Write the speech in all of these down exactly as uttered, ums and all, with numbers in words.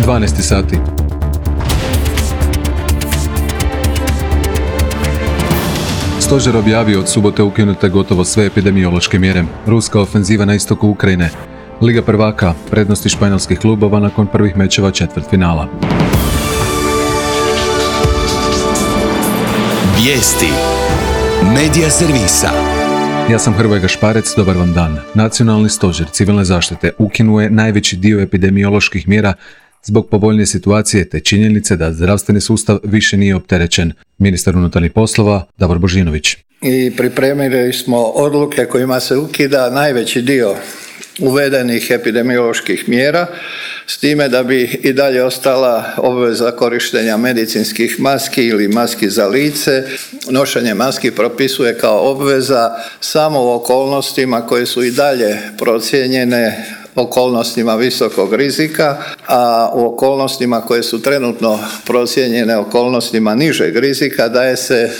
dvanaest sati. Stožer objavio od subote ukinute gotovo sve epidemiološke mjere. Ruska ofenziva na istoku Ukrajine. Liga prvaka, prednosti španjolskih klubova nakon prvih mečeva četvrtfinala. Vijesti. Medija servisa. Ja sam Hrvoje Gašparec, dobar vam dan. Nacionalni stožer civilne zaštite ukinuje najveći dio epidemioloških mjera zbog povoljnije situacije te činjenice da zdravstveni sustav više nije opterećen. Ministar unutarnjih poslova Davor Božinović. I pripremili smo odluke kojima se ukida najveći dio uvedenih epidemioloških mjera, s time da bi i dalje ostala obveza korištenja medicinskih maski ili maski za lice. Nošenje maski propisuje kao obveza samo u okolnostima koje su i dalje procijenjene okolnostima visokog rizika, a u okolnostima koje su trenutno procijenjene okolnostima nižeg rizika daje se e,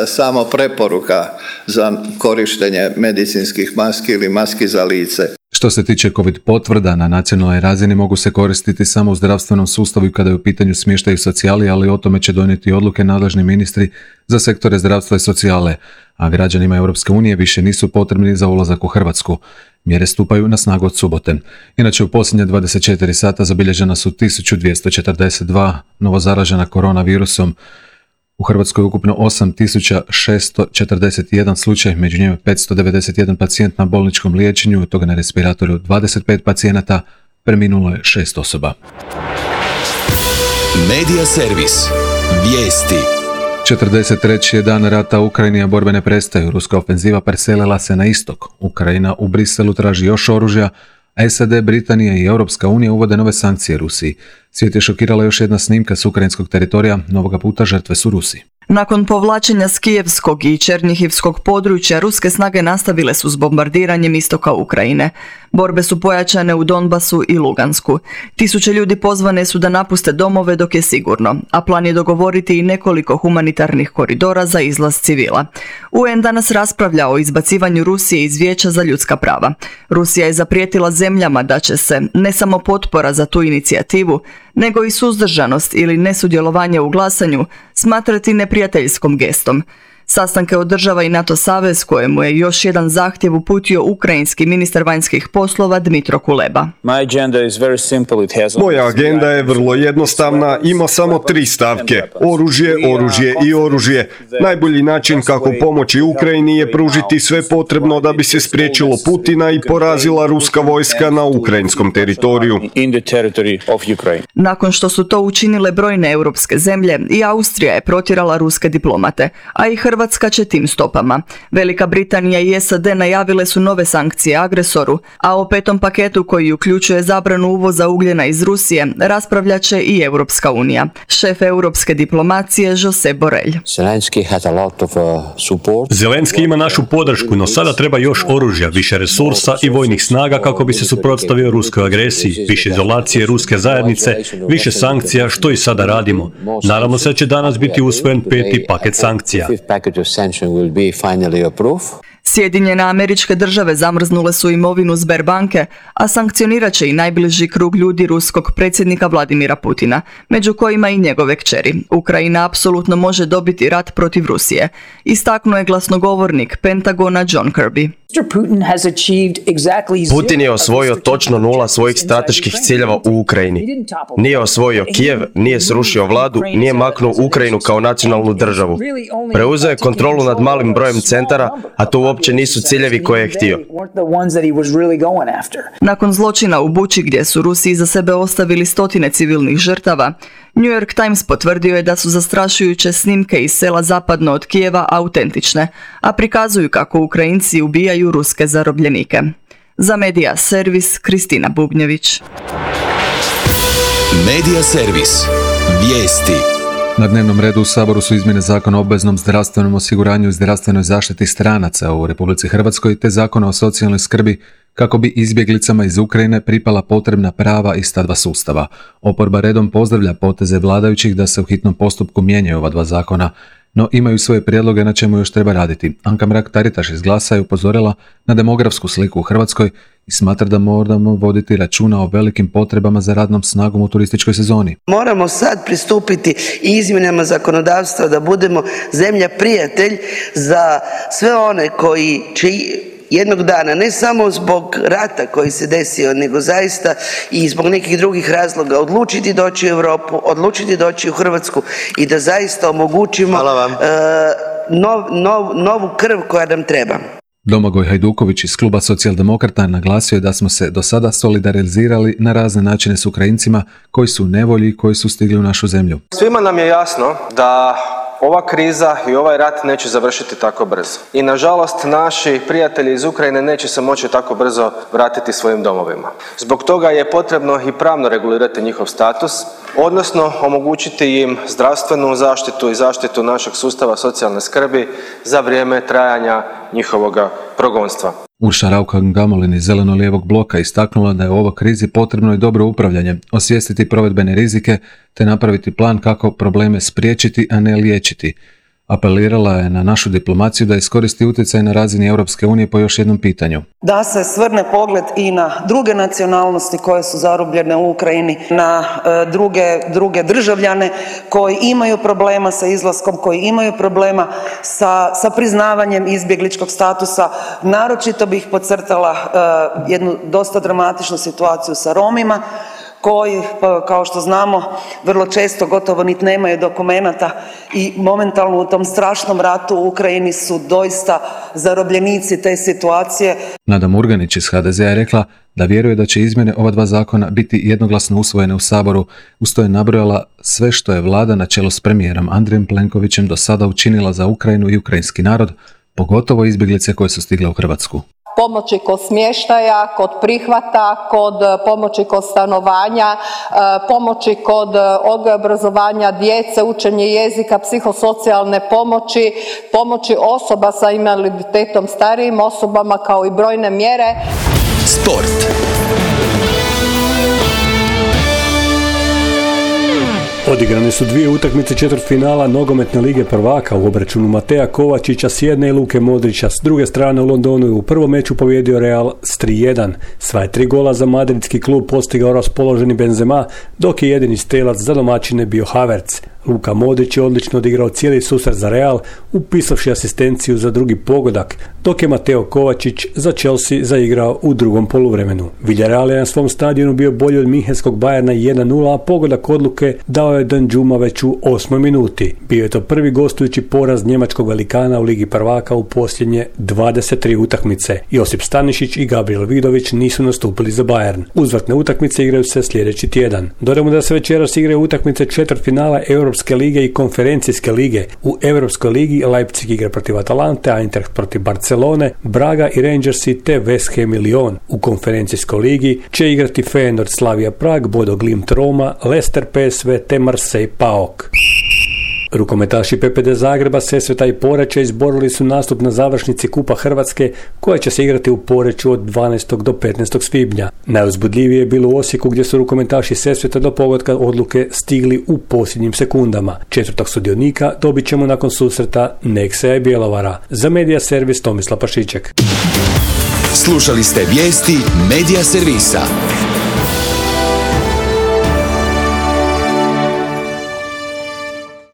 samo preporuka za korištenje medicinskih maski ili maski za lice. Što se tiče COVID potvrda, na nacionalnoj razini mogu se koristiti samo u zdravstvenom sustavu i kada je u pitanju smještaj i socijali, ali o tome će donijeti odluke nadležni ministri za sektore zdravstva i socijale, a građanima Europske unije više nisu potrebni za ulazak u Hrvatsku. Mjere stupaju na snagu od subote. Inače, u posljednje dvadeset četiri sata zabilježena su tisuću dvjesto četrdeset dva novozaražena koronavirusom. U Hrvatskoj je ukupno osam tisuća šesto četrdeset jedan slučaj, među njima petsto devedeset jedan pacijent na bolničkom liječenju, od toga na respiratoru dvadeset pet pacijenata, preminulo je šest osoba. Medija servis. Vijesti. četrdeset treći je dan rata u Ukrajini, a borbe ne prestaju. Ruska ofenziva preselila se na istok. Ukrajina u Briselu traži još oružja, a S A D, Britanija i Europska unija uvode nove sankcije Rusiji. Svijet je šokirala još jedna snimka s ukrajinskog teritorija, novoga puta žrtve su Rusi. Nakon povlačenja s Kijevskog i Černihivskog područja, ruske snage nastavile su s bombardiranjem istoka Ukrajine. Borbe su pojačane u Donbasu i Lugansku. Tisuće ljudi pozvane su da napuste domove dok je sigurno, a plan je dogovoriti i nekoliko humanitarnih koridora za izlaz civila. U N danas raspravlja o izbacivanju Rusije iz Vijeća za ljudska prava. Rusija je zaprijetila zemljama da će se ne samo potpora za tu inicijativu, nego i suzdržanost ili nesudjelovanje u glasanju smatrati neprijateljskom gestom. Sastanke održava i NATO savez, kojemu je još jedan zahtjev uputio ukrajinski ministar vanjskih poslova Dmitro Kuleba. Moja agenda je vrlo jednostavna, ima samo tri stavke: oružje, oružje i oružje. Najbolji način kako pomoći Ukrajini je pružiti sve potrebno da bi se spriječilo Putina i porazila ruska vojska na ukrajinskom teritoriju. Nakon što su to učinile brojne europske zemlje, i Austrija je protjerala ruske diplomate, a i Hrvatska Hrvatska će tim stopama. Velika Britanija i S A D najavile su nove sankcije agresoru, a o petom paketu koji uključuje zabranu uvoza ugljena iz Rusije raspravljat će i Europska unija. Šef europske diplomacije Josep Borrell. Zelenski ima našu podršku, no sada treba još oružja, više resursa i vojnih snaga kako bi se suprotstavio ruskoj agresiji, više izolacije ruske zajednice, više sankcija, što i sada radimo. Naravno se će danas biti usvojen peti paket sankcija. Sjedinjene Američke Države zamrznule su imovinu Sberbanke, a sankcionirat će i najbliži krug ljudi ruskog predsjednika Vladimira Putina, među kojima i njegove kćeri. Ukrajina apsolutno može dobiti rat protiv Rusije, istaknuo je glasnogovornik Pentagona John Kirby. Putin je osvojio točno nula svojih strateških ciljeva u Ukrajini. Nije osvojio Kijev, nije srušio vladu, nije maknuo Ukrajinu kao nacionalnu državu. Preuzeo je kontrolu nad malim brojem centara, a to uopće nisu ciljevi koje je htio. Nakon zločina u Buči, gdje su Rusi iza sebe ostavili stotine civilnih žrtava, New York Times potvrdio je da su zastrašujuće snimke iz sela zapadno od Kijeva autentične, a prikazuju kako Ukrajinci ubijaju ruske zarobljenike. Za Medija servis Kristina Bubnjević. Medija servis. Vijesti. Na dnevnom redu u Saboru su izmjene Zakona o obveznom zdravstvenom osiguranju i zdravstvenoj zaštiti stranaca u Republici Hrvatskoj te Zakona o socijalnoj skrbi kako bi izbjeglicama iz Ukrajine pripala potrebna prava iz ta dva sustava. Oporba redom pozdravlja poteze vladajućih da se u hitnom postupku mijenjaju ova dva zakona. no imaju svoje prijedloge na čemu još treba raditi. Anka Mrak-Taritaš iz Glasa je upozorila na demografsku sliku u Hrvatskoj i smatra da moramo voditi računa o velikim potrebama za radnom snagom u turističkoj sezoni. Moramo sad pristupiti izmjenama zakonodavstva da budemo zemlja prijatelj za sve one koji će jednog dana, ne samo zbog rata koji se desio, nego zaista i zbog nekih drugih razloga odlučiti doći u Europu, odlučiti doći u Hrvatsku i da zaista omogućimo uh, nov, nov, novu krv koja nam treba. Domagoj Hajduković iz kluba Socijaldemokrata naglasio je da smo se do sada solidarizirali na razne načine s Ukrajincima koji su u nevolji i koji su stigli u našu zemlju. Svima nam je jasno da ova kriza i ovaj rat neće završiti tako brzo. I nažalost naši prijatelji iz Ukrajine neće se moći tako brzo vratiti svojim domovima. Zbog toga je potrebno i pravno regulirati njihov status, odnosno omogućiti im zdravstvenu zaštitu i zaštitu našeg sustava socijalne skrbi za vrijeme trajanja njihovoga progonstva. Urša Raukar-Gamulin iz Zeleno-lijevog bloka istaknula da je u ovoj krizi potrebno i dobro upravljanje, osvijestiti provedbene rizike te napraviti plan kako probleme spriječiti, a ne liječiti. Apelirala je na našu diplomaciju da iskoristi utjecaj na razini Europske unije po još jednom pitanju. Da se svrne pogled i na druge nacionalnosti koje su zarobljene u Ukrajini, na e, druge, druge državljane koji imaju problema sa izlaskom, koji imaju problema sa, sa priznavanjem izbjegličkog statusa. Naročito bih podcrtala e, jednu dosta dramatičnu situaciju sa Romima, koji, kao što znamo, vrlo često gotovo niti nemaju dokumenata i momentalno u tom strašnom ratu u Ukrajini su doista zarobljenici te situacije. Nada Murganić iz ha de zea je rekla da vjeruje da će izmjene ova dva zakona biti jednoglasno usvojene u Saboru. Uz to je nabrojala sve što je vlada na čelu s premijerom Andrejem Plenkovićem do sada učinila za Ukrajinu i ukrajinski narod, pogotovo izbjeglice koje su stigle u Hrvatsku. Pomoći kod smještaja, kod prihvata, kod pomoći kod stanovanja, pomoći kod odgoja i obrazovanja djece, učenje jezika, psihosocijalne pomoći, pomoći osoba sa invaliditetom, starijim osobama kao i brojne mjere. Sport. Odigrane su dvije utakmice četvrtfinala Nogometne lige prvaka u obračunu Mateja Kovačića s jedne i Luke Modrića s druge strane. U Londonu je u prvom meču pobijedio Real s tri jedan. Sva je tri gola za madridski klub postigao raspoloženi Benzema, dok je jedini strelac za domaćine bio Havertz. Luka Modrić je odlično odigrao cijeli susret za Real, upisavši asistenciju za drugi pogodak, dok je Mateo Kovačić za Chelsea zaigrao u drugom poluvremenu. Villarreal je na svom stadionu bio bolji od Minhenskog Bayerna jedan nula, a pogodak odluke dao je Danjuma već u osmoj minuti. Bio je to prvi gostujući poraz njemačkog velikana u Ligi prvaka u posljednje dvadeset tri utakmice. Josip Stanišić i Gabriel Vidović nisu nastupili za Bayern. Uzvratne utakmice igraju se sljedeći tjedan. Dodajmo da se večeras igraju utakmice četvrtfinala Europske lige i konferencijske lige. U Europskoj ligi Leipzig igra protiv Atalante, Eintracht protiv Barcelone, Braga i Rangersi te West Ham i Lyon. U konferencijskoj ligi će igrati Feyenoord Slavia Prag, Bodo Glimt Roma, Leicester P S V te Marseille Paok. Rukometaši P P D Zagreba, Sesveta i Poreča izborili su nastup na završnici Kupa Hrvatske koja će se igrati u Poreču od dvanaestog do petnaestog svibnja. Najuzbudljivije je bilo u Osijeku gdje su rukometaši Sesveta do pogotka odluke stigli u posljednjim sekundama. Četvrtog sudionika dobit ćemo nakon susreta Neksa i Bjelovara. Za Medija Servis Tomislav Pašiček. Slušali ste vijesti Medija Servisa.